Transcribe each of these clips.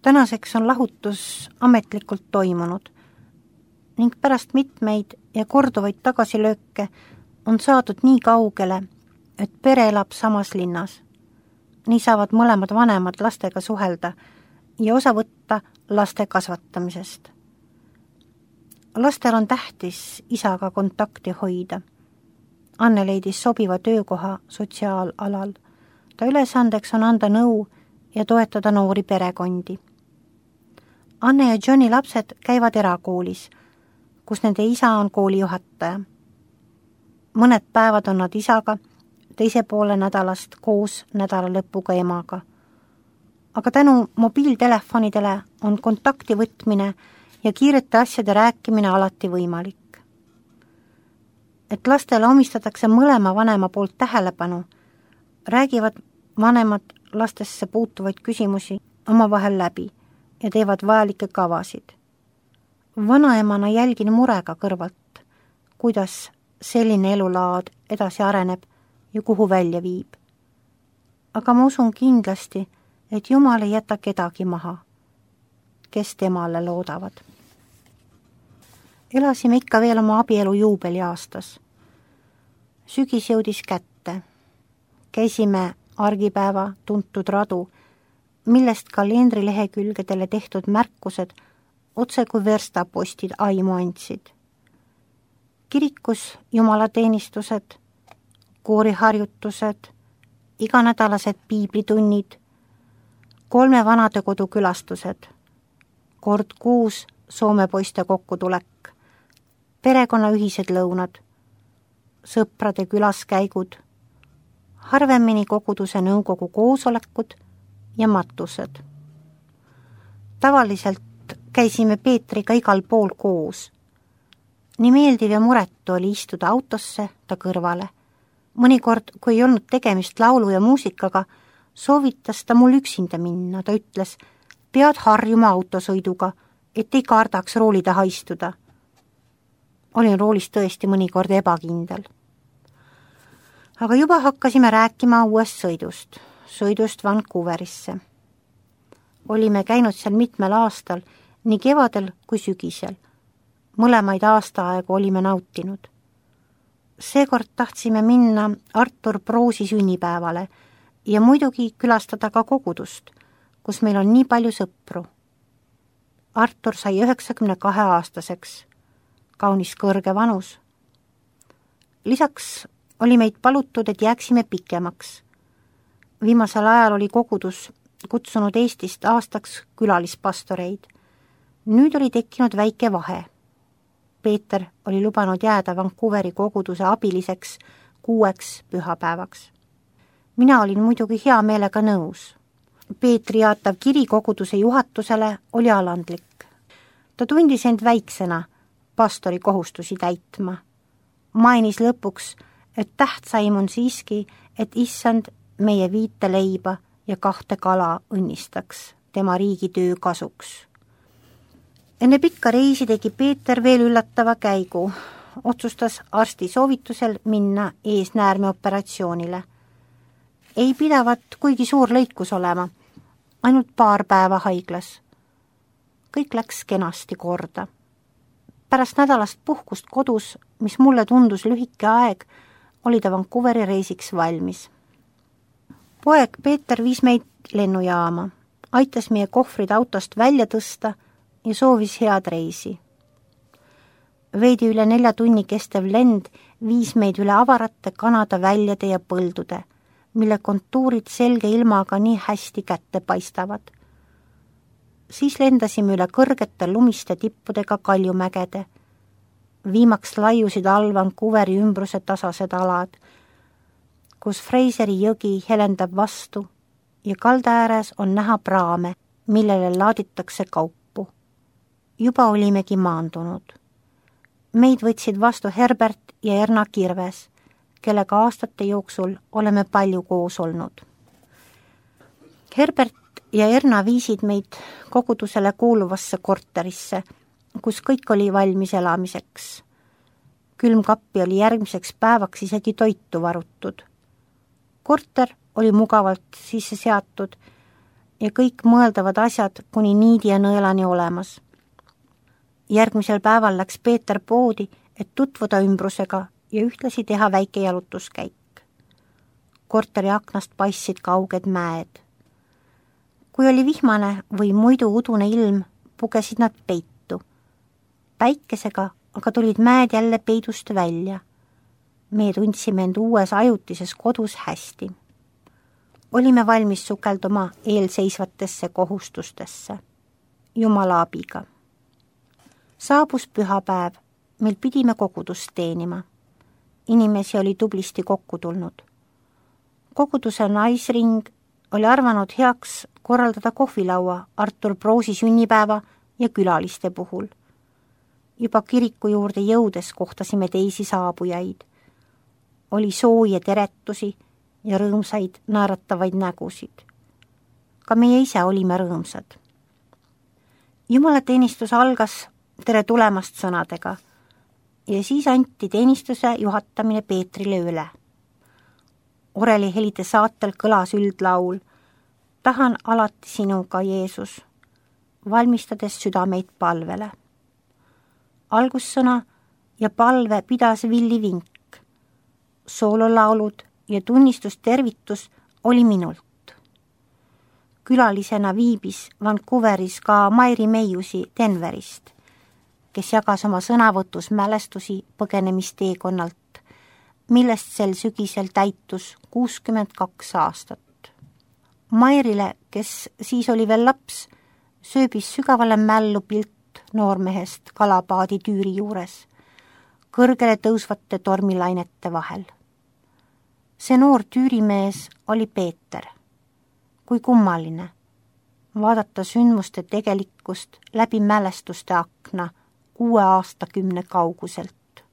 Tänaseks on lahutus ametlikult toimunud ning pärast mitmeid ja korduvaid tagasilööke on saadud nii kaugele, et pere elab samas linnas. Nii saavad mõlemad vanemad lastega suhelda ja osa võtta laste kasvatamisest. Lastel on tähtis isaga kontakti hoida. Anne leidis sobiva töökoha sotsiaalalal. Ta ülesandeks on anda nõu ja toetada noori perekondi. Anne ja Johni lapsed käivad erakoolis, kus nende isa on koolijuhataja. Mõned päevad on nad isaga, teise poole nädalast koos nädalalõpuga emaga. Aga tänu mobiiltelefonidele on kontakti võtmine ja kiirete asjade rääkimine alati võimalik. Et lastele omistatakse mõlema vanema poolt tähelepanu, räägivad vanemad lastesse puutuvaid küsimusi omavahel läbi ja teevad vajalikke kavasid. Vanaemana jälgin murega kõrvalt, kuidas selline elulaad edasi areneb ja kuhu välja viib. Aga ma usun kindlasti, et Jumal ei jäta kedagi maha, kes temale loodavad. Elasime ikka veel oma abielu juubeliaastas. Sügis jõudis kätte. Käisime argipäeva tuntud radu, millest kalendrilehekülgedele tehtud märkused otse kui verstapostid aimu andsid. Kirikus jumalateenistused, kooriharjutused, iganädalased piiblitunnid, 3 vanadekodu külastused, kord kuus Soome poiste kokkutulek, perekonna ühised lõunad, sõprade külaskäigud, harvemini koguduse nõukogu koosolekud ja matused. Tavaliselt käisime Peetriga igal pool koos. Nii meeldiv ja muretu oli istuda autosse ta kõrvale. Mõnikord, kui ei olnud tegemist laulu ja muusikaga, soovitas ta mul üksinda minna. Ta ütles, pead harjuma autosõiduga, et ei kardaks rooli taha istuda. Olin roolis tõesti mõnikord ebakindel. Aga juba hakkasime rääkima uuest sõidust Vancouverisse. Olime käinud seal mitmel aastal, nii kevadel kui sügisel. Mõlemaid aastaaegu olime nautinud. Seekord tahtsime minna Artur Proosi sünnipäevale ja muidugi külastada ka kogudust, kus meil on nii palju sõpru. Artur sai 92-aastaseks, kaunis kõrge vanus. Lisaks oli meid palutud, et jääksime pikemaks. Viimasel ajal oli kogudus kutsunud Eestist aastaks külalispastoreid. Nüüd oli tekkinud väike vahe. Peeter oli lubanud jääda Vancouveri koguduse abiliseks 6 pühapäevaks. Mina olin muidugi hea meelega nõus. Peetri jaatav kiri koguduse juhatusele oli alandlik. Ta tundis end väiksena pastori kohustusi täitma. Mainis lõpuks, et tähtsaim on siiski, et issand meie 5 leiba ja 2 kala õnnistaks tema riigitöö kasuks. Enne pikka reisi tegi Peeter veel üllatava käigu. Otsustas arsti soovitusel minna eesnäärmeoperatsioonile. Ei pidavat kuigi suur lõikus olema, ainult 2 päeva haiglas. Kõik läks kenasti korda. Pärast nädalast puhkust kodus, mis mulle tundus lühike aeg, oli ta Vancouveri reisiks valmis. Poeg Peeter viis meid lennujaama, aitas meie kohvrid autost välja tõsta ja soovis head reisi. Veidi üle 4 tunni kestev lend viis meid üle avarate Kanada väljade ja põldude, mille kontuurid selge ilmaga nii hästi kätte paistavad. Siis lendasime üle kõrgete lumiste tippudega kaljumägede. Viimaks laiusid all Vancouveri ümbruse tasased alad, kus Fraseri jõgi helendab vastu ja kalda ääres on näha praame, millele laaditakse kaupu. Juba olimegi maandunud. Meid võtsid vastu Herbert ja Erna Kirves, kellega aastate jooksul oleme palju koos olnud. Herbert ja Erna viisid meid kogudusele kuuluvasse korterisse, kus kõik oli valmis elamiseks. Külmkappi oli järgmiseks päevaks isegi toitu varutud. Korter oli mugavalt sisse seatud ja kõik mõeldavad asjad kuni niidi ja nõelani olemas. Järgmisel päeval läks Peeter poodi, et tutvuda ümbrusega ja ühtlasi teha väike jalutuskäik. Korteri aknast paistsid kauged mäed. Kui oli vihmane või muidu udune ilm, pugesid nad peitu. Päikesega aga tulid mäed jälle peidust välja. Me tundsime end uues ajutises kodus hästi. Olime valmis sukelduma eelseisvatesse kohustustesse. Jumala abiga. Saabus pühapäev, mil pidime kogudust teenima. Inimesi oli tublisti kokku tulnud. Koguduse naisring oli arvanud heaks korraldada kohvilaua Artur Proosi sünnipäeva ja külaliste puhul. Juba kiriku juurde jõudes kohtasime teisi saabujaid. Oli sooje teretusi ja rõõmsaid naeratavaid nägusid. Ka meie ise olime rõõmsad. Jumalateenistus algas tere tulemast sõnadega ja siis anti teenistuse juhatamine Peetrile üle. Orelihelide saatel kõlas üldlaul Tahan alati sinuga, Jeesus, valmistades südameid palvele. Algussõna ja palve pidas Villi Vink. Soololaulud ja tunnistustervitus oli minult. Külalisena viibis Vancouveris ka Mairi Meiusi Denverist, kes jagas oma sõnavõtus mälestusi põgenemisteekonnalt, millest sel sügisel täitus 62 aastat. Mairile, kes siis oli veel laps, sööbis sügavale mällu pilt noormehest kalapaadi tüüri juures, kõrgele tõusvate tormilainete vahel. See noor tüürimees oli Peeter. Kui kummaline vaadata sündmuste tegelikkust läbi mälestuste akna 6 aastakümne kauguselt.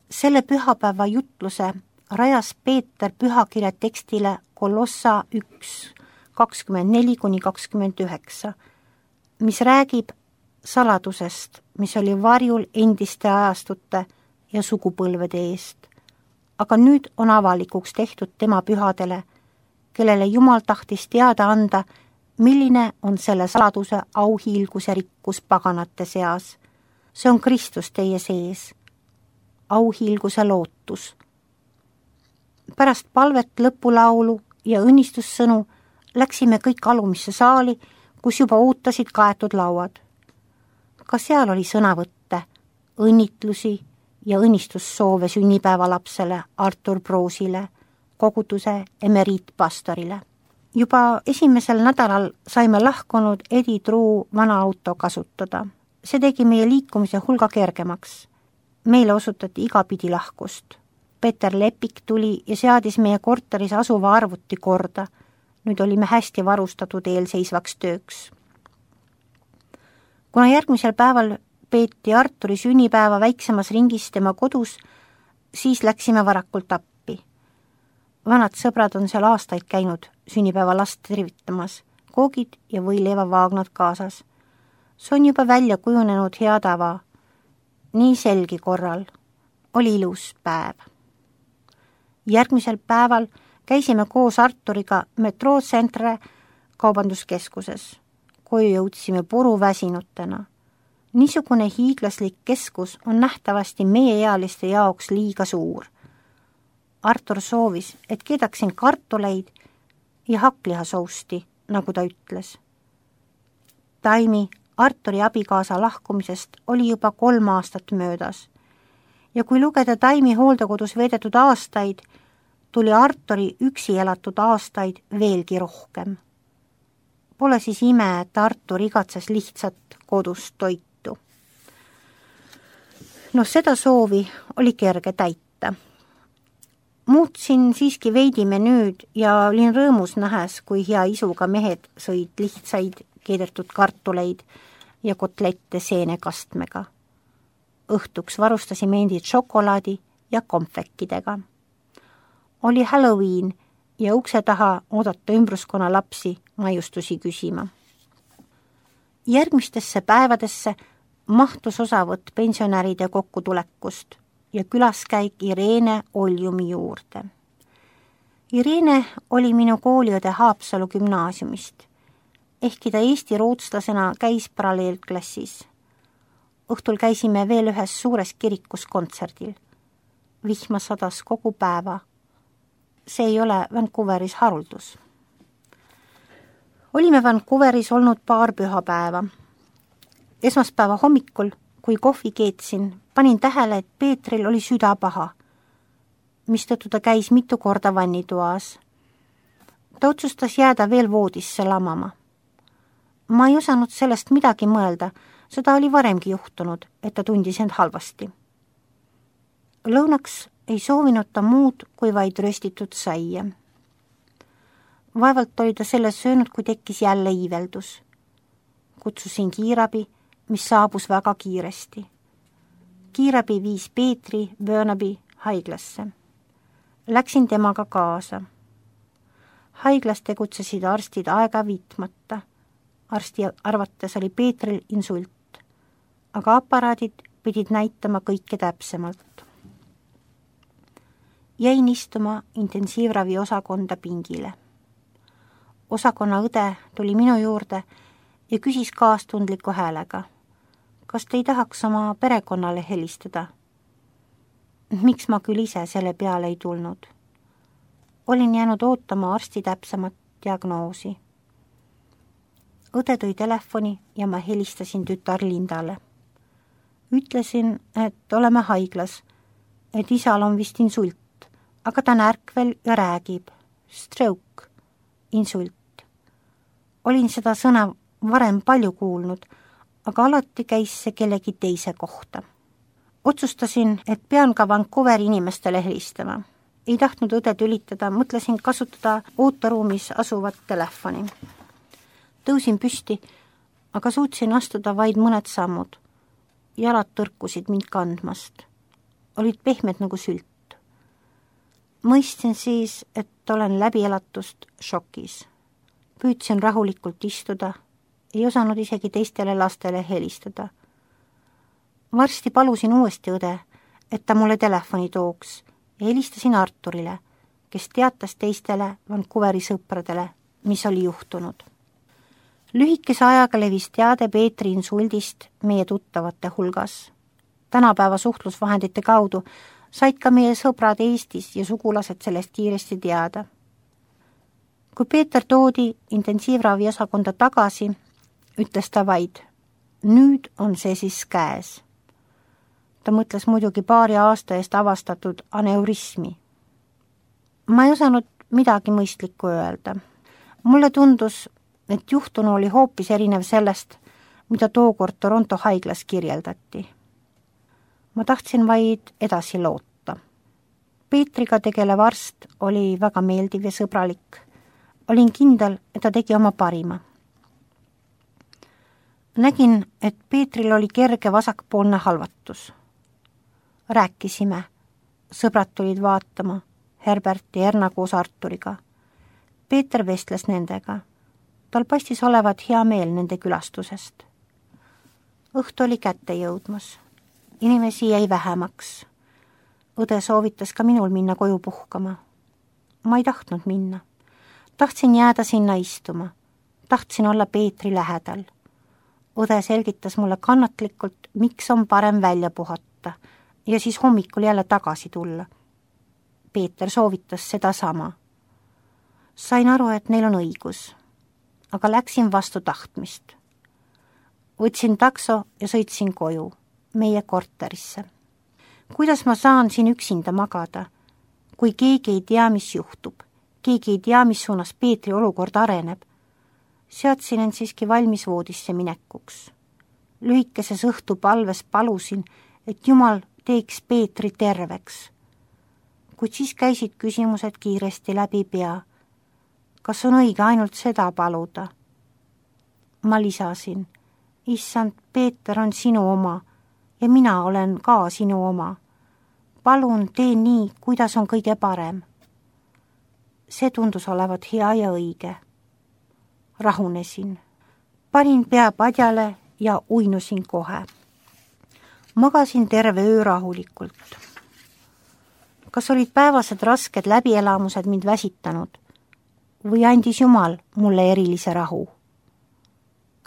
Selle pühapäeva jutluse rajas Peeter pühakirja tekstile Kolossa 1, 24-29, mis räägib saladusest, mis oli varjul endiste ajastute ja sugupõlvede eest, aga nüüd on avalikuks tehtud tema pühadele, kellele Jumal tahtis teada anda, milline on selle saladuse auhiilguse rikkus paganate seas. See on Kristus teie sees, auhiilguse lootus. Pärast palvet, lõpulaulu ja õnnistussõnu läksime kõik alumisse saali, kus juba ootasid kaetud lauad. Ka seal oli sõnavõtte, õnnitlusi ja õnnistussoove sünnipäevalapsele Artur Proosile, koguduse emeriitpastorile. Juba esimesel nädalal saime lahkunud Edi Truu vana auto kasutada. See tegi meie liikumise hulga kergemaks. Meile osutati igapidi lahkust. Peeter Lepik tuli ja seadis meie korteris asuva arvuti korda. Nüüd olime hästi varustatud eelseisvaks tööks. Kuna järgmisel päeval peeti Arturi sünnipäeva väiksemas ringis tema kodus, siis läksime varakult appi. Vanad sõbrad on seal aastaid käinud sünnipäeva last tervitamas, koogid ja võileivavaagnad kaasas. See on juba välja kujunenud hea tava. Nii selgi korral. Oli ilus päev. Järgmisel päeval käisime koos Arturiga metroocentre kaubanduskeskuses. Koju jõudsime puruväsinutena. Niisugune hiiglaslik keskus on nähtavasti meieealiste jaoks liiga suur. Artur soovis, et keedaksin kartuleid ja hakklihasousti, nagu ta ütles. Taimi Arturi abikaasa lahkumisest oli juba 3 aastat möödas ja kui lugeda Taimi hooldekodus veedetud aastaid, tuli Arturi üksi elatud aastaid veelgi rohkem. Pole siis ime, et Artur igatses lihtsat kodust toitu. Seda soovi oli kerge täita. Muutsin siiski veidi menüüd ja olin rõõmus nähes, kui hea isuga mehed sõid lihtsaid keedetud kartuleid ja kotlette seenekastmega. Õhtuks varustasime endid šokolaadi ja konfekkidega. Oli Halloween ja ukse taha oodata ümbruskonna lapsi maiustusi küsima. Järgmistesse päevadesse mahtus osavõtt pensionäride kokkutulekust ja külaskäik Irene Oljumi juurde. Irene oli minu kooliõde Haapsalu gümnaasiumist, ehkki ta eesti rootslasena käis paralleelklassis. Õhtul käisime veel ühes suures kirikus kontserdil. Vihma sadas kogu päeva. See ei ole Vancouveris haruldus. Olime Vancouveris olnud paar pühapäeva. Esmaspäeva hommikul, kui kohvi keetsin, panin tähele, et Peetril oli süda paha, mistõttu ta käis mitu korda vannitoas. Ta otsustas jääda veel voodisse lamama. Ma ei osanud sellest midagi mõelda, seda oli varemgi juhtunud, et ta tundis end halvasti. Lõunaks ei soovinud ta muud kui vaid röstitud saia. Vaevalt oli ta selle söönud, kui tekkis jälle iiveldus. Kutsusin kiirabi, mis saabus väga kiiresti. Kiirabi viis Peetri Burnaby haiglasse. Läksin temaga kaasa. Haiglas tegutsesid arstid aega viitmata. Arsti arvates oli Peetril insult, aga aparaadid pidid näitama kõike täpsemalt. Jäin istuma intensiivravi osakonda pingile. Osakonna õde tuli minu juurde ja küsis kaastundliku häälega. Kas te ei tahaks oma perekonnale helistada? Miks ma küll ise selle peale ei tulnud? Olin jäänud ootama arsti täpsemat diagnoosi. Õde tõi telefoni ja ma helistasin tütar Lindale. Ütlesin, et oleme haiglas, et isal on vist insult, aga ta on ärkvel ja räägib. Stroke, insult. Olin seda sõna varem palju kuulnud, aga alati käis see kellegi teise kohta. Otsustasin, et pean ka Vancouveri inimestele helistama. Ei tahtnud õde tülitada, mõtlesin kasutada ooteruumis asuvat telefoni. Tõusin püsti, aga suutsin astuda vaid mõned sammud. Jalad tõrkusid mind kandmast. Olid pehmed nagu sült. Mõistsin siis, et olen läbielatust šokis. Püüdsin rahulikult istuda, ei osanud isegi teistele lastele helistada. Varsti palusin uuesti õde, et ta mulle telefoni tooks ja helistasin Arturile, kes teatas teistele Vancouveri sõpradele, mis oli juhtunud. Lühikese ajaga levis teade Peetri insuldist meie tuttavate hulgas. Tänapäeva suhtlusvahendite kaudu said ka meie sõbrad Eestis ja sugulased sellest kiiresti teada. Kui Peeter toodi intensiivravi osakonda tagasi, ütles ta vaid, nüüd on see siis käes. Ta mõtles muidugi paari aasta eest avastatud aneurismi. Ma ei osanud midagi mõistlikku öelda. Mulle tundus, et juhtunu oli hoopis erinev sellest, mida tookord Toronto haiglas kirjeldati. Ma tahtsin vaid edasi loota. Peetriga tegelev arst oli väga meeldiv ja sõbralik. Olin kindel, et ta tegi oma parima. Nägin, et Peetril oli kerge vasakpoolne halvatus. Rääkisime. Sõbrad tulid vaatama, Herbert ja Erna koos Arturiga. Peeter vestles nendega. Tal paistis olevat hea meel nende külastusest. Õhtu oli kätte jõudmas. Inimesi jäi vähemaks. Õde soovitas ka minul minna koju puhkama. Ma ei tahtnud minna. Tahtsin jääda sinna istuma. Tahtsin olla Peetri lähedal. Õde selgitas mulle kannatlikult, miks on parem välja puhata ja siis hommikul jälle tagasi tulla. Peeter soovitas seda sama. Sain aru, et neil on õigus, aga läksin vastu tahtmist. Võtsin takso ja sõitsin koju, meie korterisse. Kuidas ma saan siin üksinda magada, kui keegi ei tea, mis juhtub, keegi ei tea, mis suunas Peetri olukord areneb? Seadsin end siiski valmis voodisse minekuks. Lühikeses õhtupalves palusin, et Jumal teeks Peetri terveks. Kuid siis käisid küsimused kiiresti läbi pea. Kas on õige ainult seda paluda? Ma lisasin, issand, Peeter on sinu oma ja mina olen ka sinu oma. Palun tee nii, kuidas on kõige parem. See tundus olevat hea ja õige. Rahunesin. Panin pea padjale ja uinusin kohe. Magasin terve öö rahulikult. kas olid päevased rasked läbielamused mind väsitanud või andis Jumal mulle erilise rahu?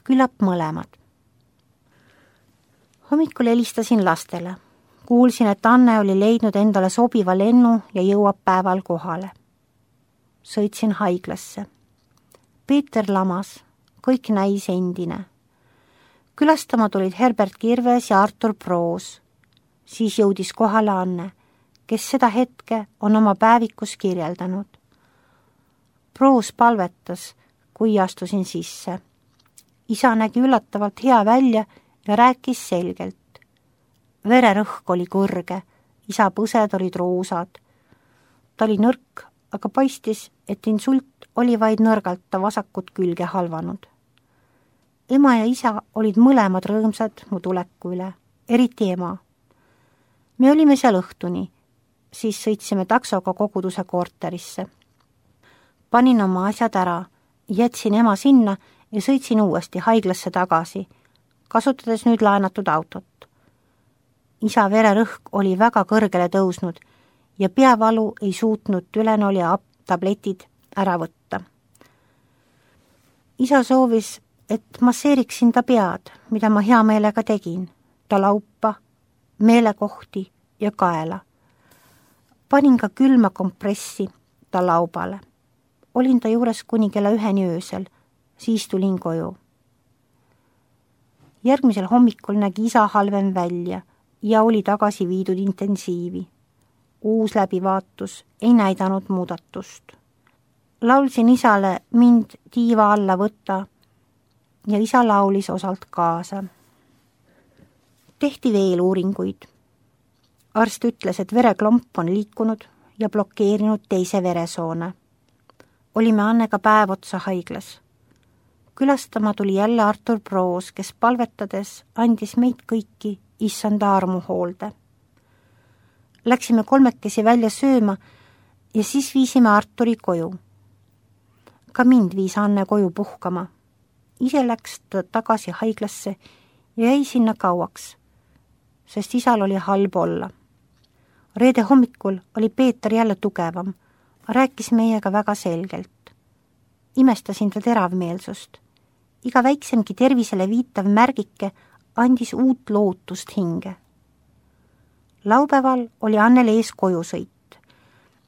Küllap mõlemad. Hommikul helistasin lastele. Kuulsin, et Anne oli leidnud endale sobiva lennu ja jõuab päeval kohale. Sõitsin haiglasse. Peeter lamas, kõik näis endine. Külastama tulid Herbert Kirves ja Artur Proos. Siis jõudis kohale Anne, kes seda hetke on oma päevikus kirjeldanud. Proos palvetas, kui astusin sisse. Isa nägi üllatavalt hea välja ja rääkis selgelt. Vererõhk oli kõrge, isa põsed olid roosad. Ta oli nõrk, aga paistis, et insult oli vaid nõrgalt ta vasakut külge halvanud. Ema ja isa olid mõlemad rõõmsad mu tuleku üle, eriti ema. Me olime seal õhtuni, siis sõitsime taksoga koguduse korterisse. Panin oma asjad ära, jätsin ema sinna ja sõitsin uuesti haiglasse tagasi, kasutades nüüd laenatud autot. Isa vererõhk oli väga kõrgele tõusnud ja peavalu ei suutnud Tylenoli tabletid ära võtta. Isa soovis, et masseeriksin ta pead, mida ma hea meelega tegin, ta laupa, meelekohti ja kaela. Panin ka külma kompressi ta laubale. Olin ta juures kuni kella 1 öösel, siis tulin koju. Järgmisel hommikul nägi isa halvem välja ja oli tagasi viidud intensiivi. Uus läbivaatus ei näidanud muudatust. Laulsin isale mind tiiva alla võtta ja isa laulis osalt kaasa. Tehti veel uuringuid. Arst ütles, et vereklomp on liikunud ja blokeerinud teise veresoone. Olime Annega päev otsa haiglas. Külastama tuli jälle Artur Proos, kes palvetades andis meid kõiki issanda armu hoolde. Läksime 3 välja sööma ja siis viisime Arturi koju. Ka mind viis Anne koju puhkama. Ise läks ta tagasi haiglasse ja jäi sinna kauaks, sest isal oli halb olla. Reede hommikul oli Peeter jälle tugevam, rääkis meiega väga selgelt. Imestasin ta teravmeelsust. Iga väiksemgi tervisele viitav märgike andis uut lootust hinge. Laupäeval oli Annel ees kojusõit.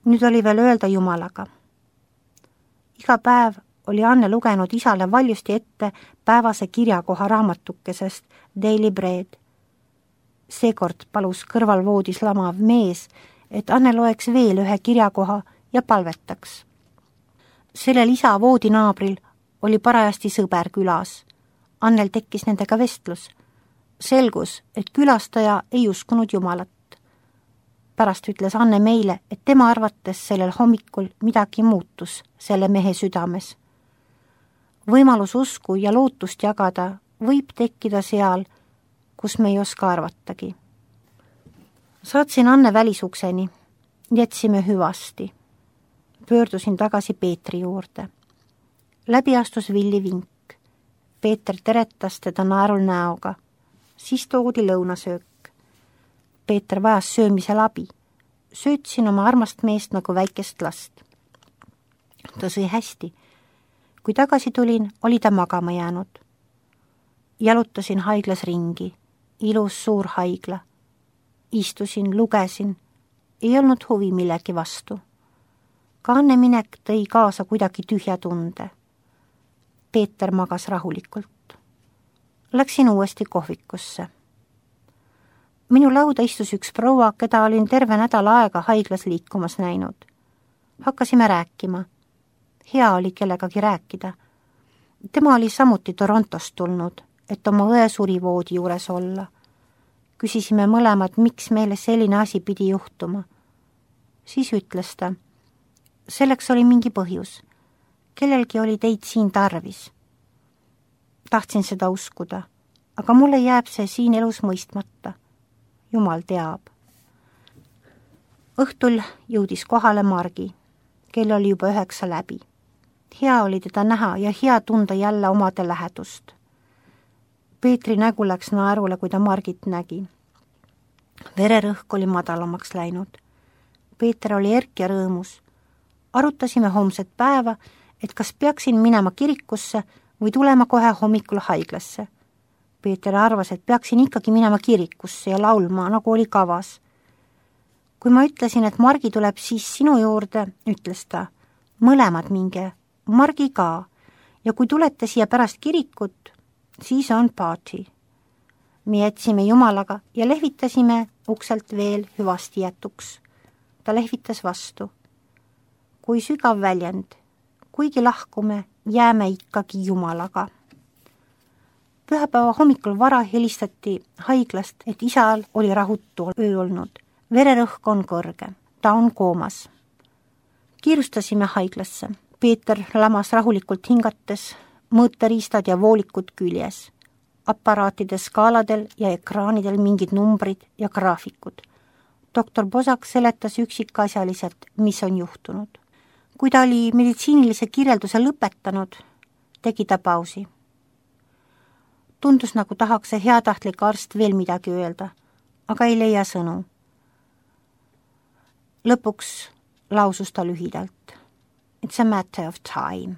Nüüd oli veel öelda Jumalaga. Iga päev oli Anne lugenud isale valjusti ette päevase kirjakoha raamatukesest Daily Bread. Seekord palus kõrvalvoodis lamav mees, et Anne loeks veel ühe kirjakoha ja palvetaks. Sellel isa voodinaabril oli parajasti sõber külas. Annel tekkis nendega vestlus. Selgus, et külastaja ei uskunud Jumalat. Pärast ütles Anne meile, et tema arvates sellel hommikul midagi muutus selle mehe südames. Võimalus usku ja lootust jagada võib tekkida seal, kus me ei oska arvatagi. Saatsin Anne välisukseni, jätsime hüvasti. Pöördusin tagasi Peetri juurde. Läbi astus Villi Vink. Peeter teretas teda naerul näoga. Siis toodi lõunasöök. Peeter vajas söömisel abi. Söötsin oma armast meest nagu väikest last. Ta sõi hästi. Kui tagasi tulin, oli ta magama jäänud. Jalutasin haiglas ringi. Ilus suur haigla. Istusin, lugesin. Ei olnud huvi millegi vastu. Ka Anne minek tõi kaasa kuidagi tühja tunde. Peeter magas rahulikult. Läksin uuesti kohvikusse. Minu lauda istus üks proua, keda olin terve nädal aega haiglas liikumas näinud. Hakkasime rääkima. Hea oli kellegagi rääkida. Tema oli samuti Torontost tulnud, et oma õe surivoodi juures olla. Küsisime mõlemad, miks meile selline asi pidi juhtuma. Siis ütles ta, selleks oli mingi põhjus. Kellelgi oli teid siin tarvis. Tahtsin seda uskuda, aga mulle jääb see siin elus mõistmata. Jumal teab. Õhtul jõudis kohale Margi, kel oli juba 9 läbi. Hea oli teda näha ja hea tunda jälle omade lähedust. Peetri nägu läks naerule, kui ta Margit nägi. Vererõhk oli madalamaks läinud. Peeter oli erk ja rõõmus. Arutasime homset päeva, et kas peaksin minema kirikusse või tulema kohe hommikul haiglasse. Peeter arvas, et peaksin ikkagi minema kirikusse ja laulma, nagu oli kavas. Kui ma ütlesin, et Margi tuleb siis sinu juurde, ütles ta, mõlemad minge, Margi ka, ja kui tulete siia pärast kirikut, siis on party. Me jätsime Jumalaga ja lehvitasime ukselt veel hüvasti jätuks. Ta lehvitas vastu. Kui sügav väljend, kuigi lahkume, jääme ikkagi Jumalaga. Pühapäeva hommikul vara helistati haiglast, et isal oli rahutu öö olnud. Vererõhk on kõrge, ta on koomas. Kiirustasime haiglasse. Peeter lamas rahulikult hingates, mõõteriistad ja voolikud küljes. Aparaatide skaaladel ja ekraanidel mingid numbrid ja graafikud. Doktor Bosak seletas üksikasjaliselt, mis on juhtunud. Kui ta oli meditsiinilise kirjelduse lõpetanud, tegi ta pausi. Tundus, nagu tahaks see heatahtlik arst veel midagi öelda, aga ei leia sõnu. Lõpuks lausus ta lühidalt. It's a matter of time.